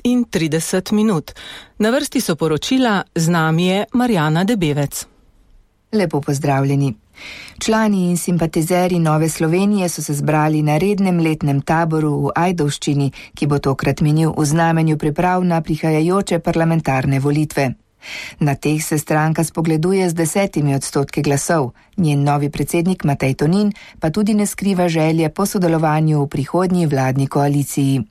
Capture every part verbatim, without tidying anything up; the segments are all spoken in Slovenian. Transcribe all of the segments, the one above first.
in trideset minut. Na vrsti so poročila, z nami je Marjana Debevec. Lepo pozdravljeni. Člani in simpatizeri Nove Slovenije so se zbrali na rednem letnem taboru v Ajdovščini, ki bo tokrat minil v znamenju priprav na prihajajoče parlamentarne volitve. Na teh se stranka spogleduje z desetimi odstotki glasov, njen novi predsednik Matej Tonin pa tudi ne skriva želje po sodelovanju v prihodnji vladni koaliciji.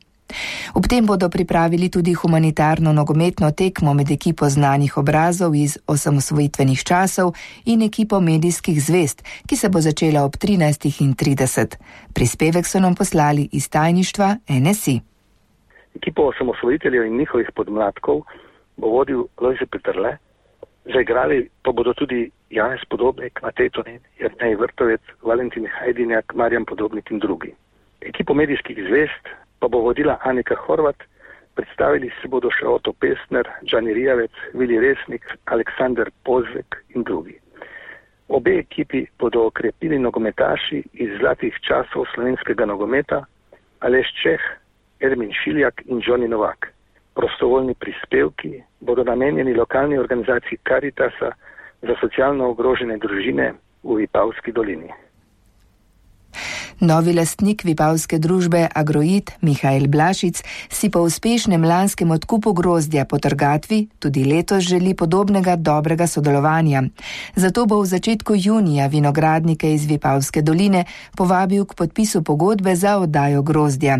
Ob tem bodo pripravili tudi humanitarno nogometno tekmo med ekipo znanih obrazov iz osamosvojitvenih časov in ekipo medijskih zvest, ki se bo začela ob trinajstih trideset. Prispevek so nam poslali iz tajništva N S I. Ekipo osamosvojiteljev in njihovih podmladkov bo vodil Lojze Peterle, zaigrali pa bodo tudi Janez Podobnik, Matej Tonin, Jernej Vrtovec, Valentin Hajdinjak, Marjan Podobnik in drugi. Ekipo medijskih zvest pa bo vodila Anika Horvat, predstavili se bodo še Oto Pestner, Džani Rijavec, Vili Resnik, Aleksandar Pozvek in drugi. Obe ekipi bodo okrepili nogometaši iz zlatih časov slovenskega nogometa, Aleš Čeh, Ermin Šiljak in Johnny Novak. Prostovoljni prispevki bodo namenjeni lokalni organizaciji Karitasa za socialno ogrožene družine v Vipavski dolini. Novi lastnik vipavske družbe Agroit, Mihael Blašic, si po uspešnem lanskem odkupu grozdja po trgatvi tudi letos želi podobnega dobrega sodelovanja. Zato bo v začetku junija vinogradnike iz Vipavske doline povabil k podpisu pogodbe za oddajo grozdja.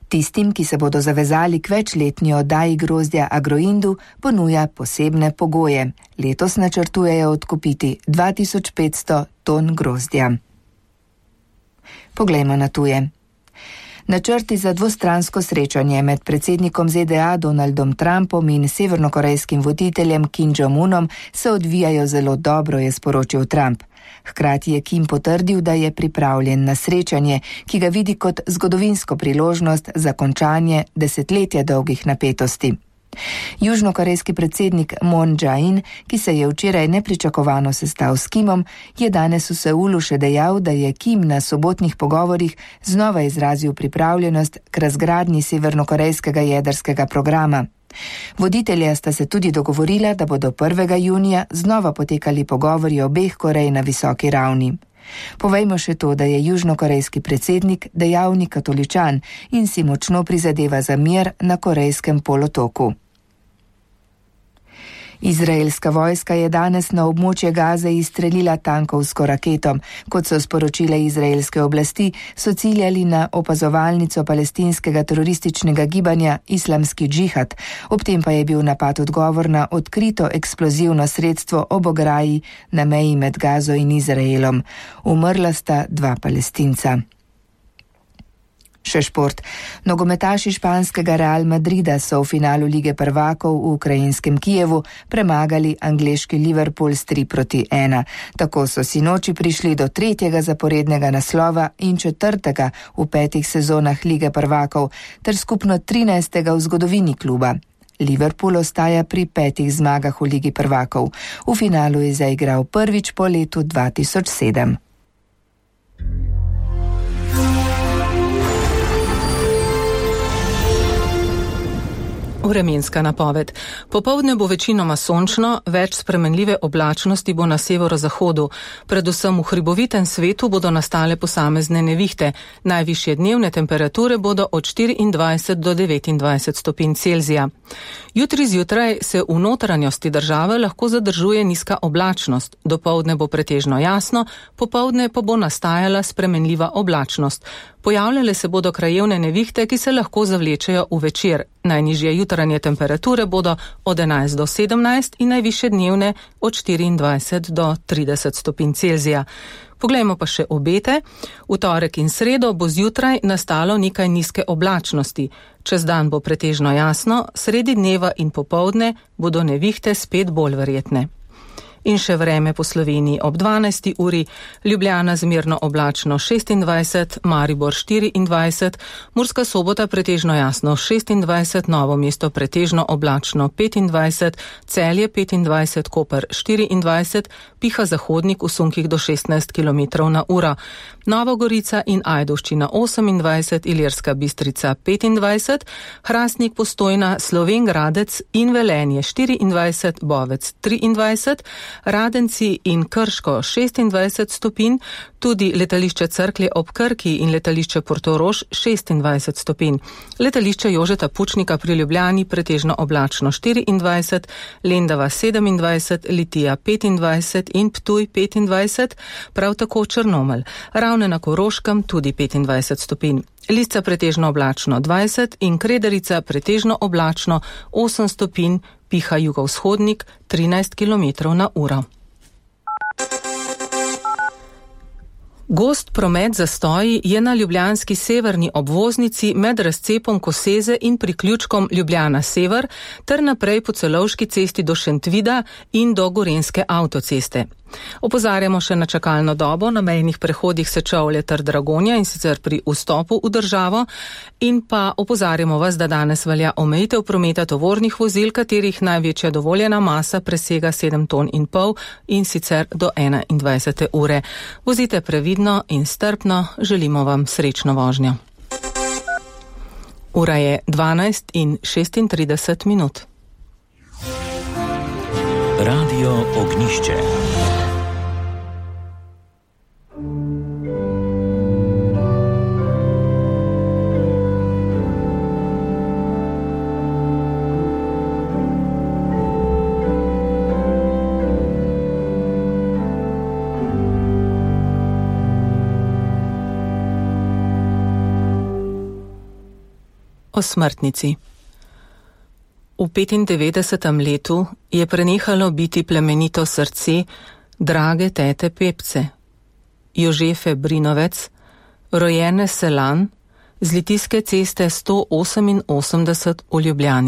Tistim, ki se bodo zavezali k večletni oddaji grozdja Agroindu, ponuja posebne pogoje. Letos načrtujejo odkupiti dva tisoč petsto ton grozdja. Poglejmo na tuje. Načrti za dvostransko srečanje med predsednikom Z D A Donaldom Trumpom in severnokorejskim voditeljem Kim Jong-unom se odvijajo zelo dobro, je sporočil Trump. Hkrati je Kim potrdil, da je pripravljen na srečanje, ki ga vidi kot zgodovinsko priložnost za končanje desetletja dolgih napetosti. Južnokorejski predsednik Moon Jae-in, ki se je včeraj nepričakovano sestal s Kimom, je danes v Seulu še dejal, da je Kim na sobotnih pogovorih znova izrazil pripravljenost k razgradnji severnokorejskega jedrskega programa. Voditelja sta se tudi dogovorila, da bodo prvega junija znova potekali pogovori obeh Korej na visoki ravni. Povejmo še to, da je južnokorejski predsednik dejavni katoličan in si močno prizadeva za mir na korejskem polotoku. Izraelska vojska je danes na območje Gaze izstrelila tankovsko raketo. Kot so sporočile izraelske oblasti, so ciljali na opazovalnico palestinskega terorističnega gibanja Islamski džihad. Ob tem pa je bil napad odgovor na odkrito eksplozivno sredstvo ob ograji na meji med Gazo in Izraelom. Umrla sta dva Palestinca. Še šport. Nogometaši španskega Real Madrida so v finalu Lige prvakov v ukrajinskem Kijevu premagali angleški Liverpool s tri proti ena. Tako so sinoči prišli do tretjega zaporednega naslova in četrtega v petih sezonah Lige prvakov, ter skupno trinajstega v zgodovini kluba. Liverpool ostaja pri petih zmagah v Ligi prvakov. V finalu je zaigral prvič po letu dva tisoč sedem. Vremenska napoved. Popoldne bo večinoma sončno, več spremenljive oblačnosti bo na severozahodu. Predvsem v hribovitem svetu bodo nastale posamezne nevihte. Najvišje dnevne temperature bodo od štiriindvajset do devetindvajset stopinj Celzija. Jutri zjutraj se v notranjosti države lahko zadržuje nizka oblačnost. Dopoldne bo pretežno jasno, popoldne pa bo nastajala spremenljiva oblačnost. Pojavljale se bodo krajevne nevihte, ki se lahko zavlečejo v večer. Najnižje jutranje temperature bodo od enajst do sedemnajst in najvišje dnevne od štiriindvajset do trideset stopinj Celzija. Poglejmo pa še obete. V torek in sredo bo zjutraj nastalo nekaj nizke oblačnosti. Čez dan bo pretežno jasno, sredi dneva in popoldne bodo nevihte spet bolj verjetne. In še vreme po Sloveniji ob dvanajsti uri, Ljubljana zmerno oblačno šestindvajset, Maribor štiriindvajset, Murska Sobota pretežno jasno šestindvajset, Novo mesto pretežno oblačno petindvajset, Celje petindvajset, Koper štiriindvajset, piha zahodnik v sunkih do šestnajst kilometrov na uro. Nova Gorica in Ajdovščina osemindvajset, Ilirska Bistrica petindvajset, Hrastnik, Postojna, Slovenj Gradec in Velenje štiriindvajset, Bovec triindvajset, Radenci in Krško šestindvajset stopinj, tudi letališče Cerklje ob Krki in letališče Portorož šestindvajset stopinj. Letališče Jožeta Pučnika pri Ljubljani pretežno oblačno štiriindvajset, Lendava sedemindvajset, Litija petindvajset in Ptuj petindvajset, prav tako Črnomelj. Ravne na Koroškem tudi petindvajset stopinj. Lisca pretežno oblačno dvajset in Kredarica pretežno oblačno osem stopinj, piha jugovzhodnik trinajst kilometrov na uro. Gost promet zastoji je na ljubljanski severni obvoznici med razcepom Koseze in priključkom Ljubljana Sever ter naprej po Celovški cesti do Šentvida in do Gorenjske avtoceste. Opozarjamo še na čakalno dobo na mejnih prehodih Sečovlje ter Dragonja, in sicer pri vstopu v državo, in pa opozarjamo vas, da danes velja omejitev prometa tovornih vozil, katerih največja dovoljena masa presega sedem ton in pol, in sicer do enaindvajsete ure. Vozite previdno in strpno, želimo vam srečno vožnjo. Ura je dvanajst in šestintrideset minut. Radio Ognišče. O smrtnici. V petindevetdesetem letu je prenehalo biti plemenito srce drage tete Pepce, Jožefe Brinovec, rojene Selan, z Litijske ceste sto oseminosemdeset v Ljubljani.